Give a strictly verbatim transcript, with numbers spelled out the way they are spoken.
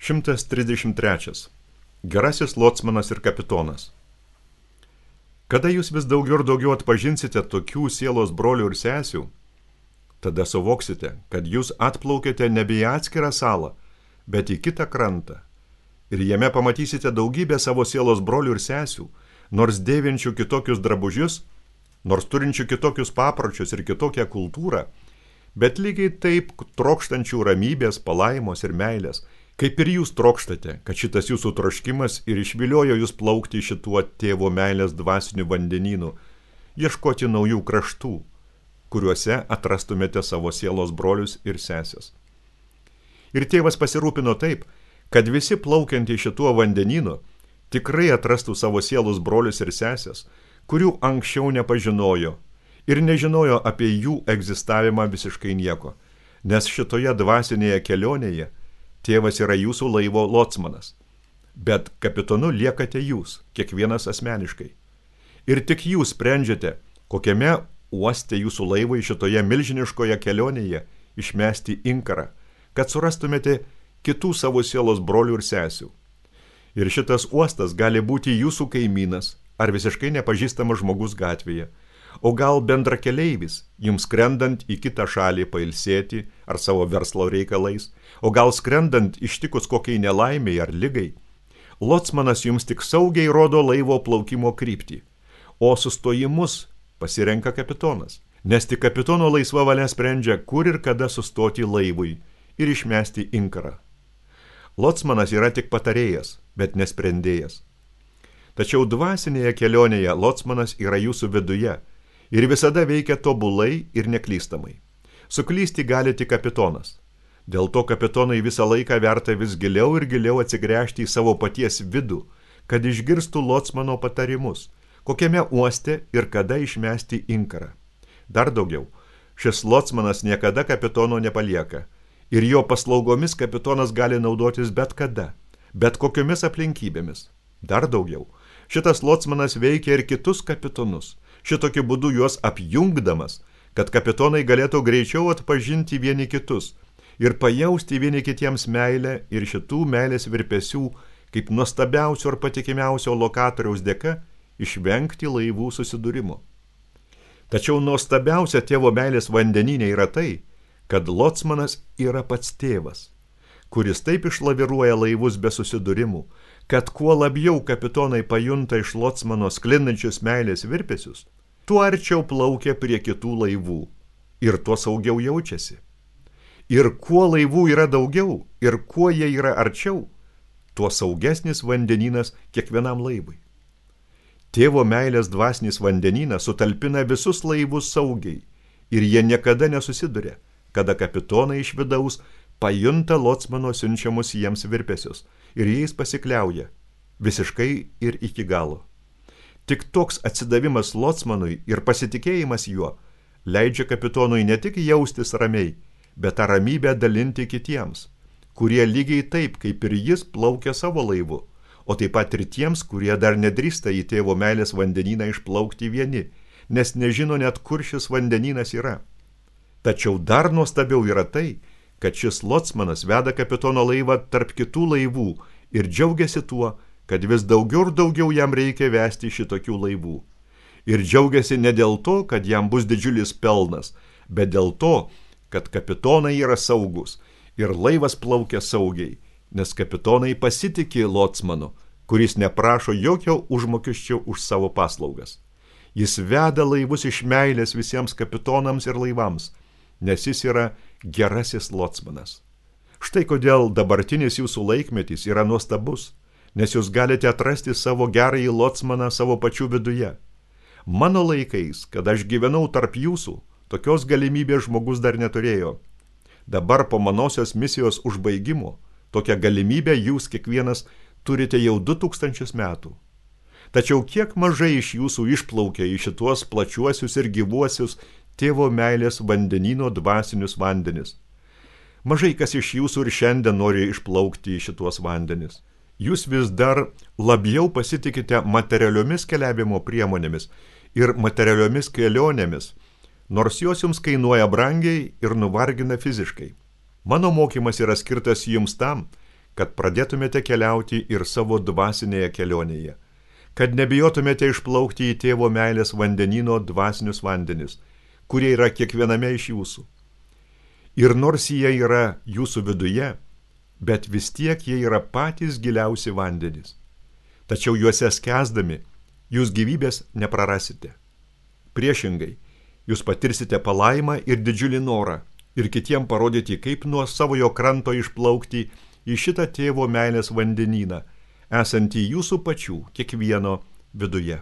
šimtas trisdešimt trečias. Gerasis locmanas ir kapitonas. Kada jūs vis daugiau ir daugiau atpažinsite tokių sielos brolių ir sesių, tada suvoksite, kad jūs atplaukėte nebe į atskirą salą, bet į kitą krantą. Ir jame pamatysite daugybę savo sielos brolių ir sesių, nors dėvinčių kitokius drabužius, nors turinčių kitokius papročius ir kitokią kultūrą, bet lygiai taip trokštančių ramybės, palaimos ir meilės, kaip ir jūs trokštate, kad šitas jūsų troškimas ir išviliojo jūs plaukti šituo tėvo meilės dvasiniu vandenynu, ieškoti naujų kraštų, kuriuose atrastumėte savo sielos brolius ir sesės. Ir tėvas pasirūpino taip, kad visi plaukiantys šituo vandenynu tikrai atrastų savo sielos brolius ir sesės, kurių anksčiau nepažinojo ir nežinojo apie jų egzistavimą visiškai nieko, nes šitoje dvasinėje kelionėje tėvas yra jūsų laivo locmanas, bet kapitonu liekate jūs, kiekvienas asmeniškai. Ir tik jūs sprendžiate, kokiame uoste jūsų laivai šitoje milžiniškoje kelionėje išmesti inkarą, kad surastumėte kitų savo sielos brolių ir sesių. Ir šitas uostas gali būti jūsų kaimynas ar visiškai nepažįstamas žmogus gatvėje, o gal bendrakeleivis, jums skrendant į kitą šalį pailsėti ar savo verslo reikalais, o gal skrendant ištikus kokiai nelaimiai ar ligai. Locmanas jums tik saugiai rodo laivo plaukimo kryptį, o sustojimus pasirenka kapitonas, nes tik kapitono laisva valia sprendžia, kur ir kada sustoti laivui ir išmesti inkarą. Locmanas yra tik patarėjas, bet nesprendėjas. Tačiau dvasinėje kelionėje locmanas yra jūsų viduje ir visada veikia tobulai ir neklystamai. Suklysti gali tik kapitonas. Dėl to kapitonai visą laiką verta vis giliau ir giliau atsigręžti į savo paties vidų, kad išgirstų locmano patarimus, kokiame uoste ir kada išmesti inkarą. Dar daugiau, šis locmanas niekada kapitono nepalieka ir jo paslaugomis kapitonas gali naudotis bet kada, bet kokiomis aplinkybėmis. Dar daugiau, šitas locmanas veikia ir kitus kapitonus, šitokiu būdu juos apjungdamas, kad kapitonai galėtų greičiau atpažinti vieni kitus ir pajausti vieni kitiems meilę ir šitų meilės virpesių, kaip nuostabiausio ir patikimiausio lokatoriaus dėka, išvengti laivų susidūrimo. Tačiau nuostabiausia tėvo meilės vandenyne yra tai, kad locmanas yra pats tėvas, kuris taip išlaviruoja laivus be susidūrimų, kad kuo labiau kapitonai pajunta iš locmano sklindančius meilės virpesius, tuo arčiau plaukia prie kitų laivų ir tuo saugiau jaučiasi. Ir kuo laivų yra daugiau ir kuo jie yra arčiau, tuo saugesnis vandenynas kiekvienam laivui. Tėvo meilės dvasinis vandenynas sutalpina visus laivus saugiai ir jie niekada nesusiduria, kada kapitonai iš vidaus pajunta locmano siunčiamus jiems virpesius ir jais pasikliauja, visiškai ir iki galo. Tik toks atsidavimas locmanui ir pasitikėjimas juo leidžia kapitonui ne tik jaustis ramiai, bet tą ramybę dalinti kitiems, kurie lygiai taip, kaip ir jis plaukia savo laivu, o taip pat ir tiems, kurie dar nedrįsta į tėvo meilės vandenyną išplaukti vieni, nes nežino net, kur šis vandenynas yra. Tačiau dar nuostabiau yra tai, kad šis locmanas veda kapitono laivą tarp kitų laivų ir džiaugiasi tuo, kad vis daugiau ir daugiau jam reikia vesti šitokių laivų. Ir džiaugiasi ne dėl to, kad jam bus didžiulis pelnas, bet dėl to, kad kapitonai yra saugus ir laivas plaukia saugiai, nes kapitonai pasitikė locmanu, kuris neprašo jokio užmokesčio už savo paslaugas. Jis veda laivus iš meilės visiems kapitonams ir laivams, nes jis yra gerasis locmanas. Štai kodėl dabartinis jūsų laikmetis yra nuostabus, nes jūs galite atrasti savo gerąjį locmaną savo pačių viduje. Mano laikais, kad aš gyvenau tarp jūsų, tokios galimybės žmogus dar neturėjo. Dabar po manosios misijos užbaigimo, tokią galimybę jūs kiekvienas turite jau du tūkstančius metų. Tačiau kiek mažai iš jūsų išplaukia į šituos plačiuosius ir gyvuosius tėvo meilės vandenyno dvasinius vandenis. Mažai kas iš jūsų ir šiandien nori išplaukti į šituos vandenis. Jūs vis dar labiau pasitikite materialiomis keliavimo priemonėmis ir materialiomis kelionėmis, nors jos jums kainuoja brangiai ir nuvargina fiziškai. Mano mokymas yra skirtas jums tam, kad pradėtumėte keliauti ir savo dvasinėje kelionėje, kad nebijotumėte išplaukti į tėvo meilės vandenyno dvasinius vandenis, kurie yra kiekviename iš jūsų. Ir nors jie yra jūsų viduje, bet vis tiek jie yra patys giliausi vandenys. Tačiau juose skęsdami, jūs gyvybės neprarasite. Priešingai, jūs patirsite palaimą ir didžiulį norą ir kitiem parodyti, kaip nuo savojo kranto išplaukti į šitą tėvo meilės vandenyną, esantį jūsų pačių kiekvieno viduje.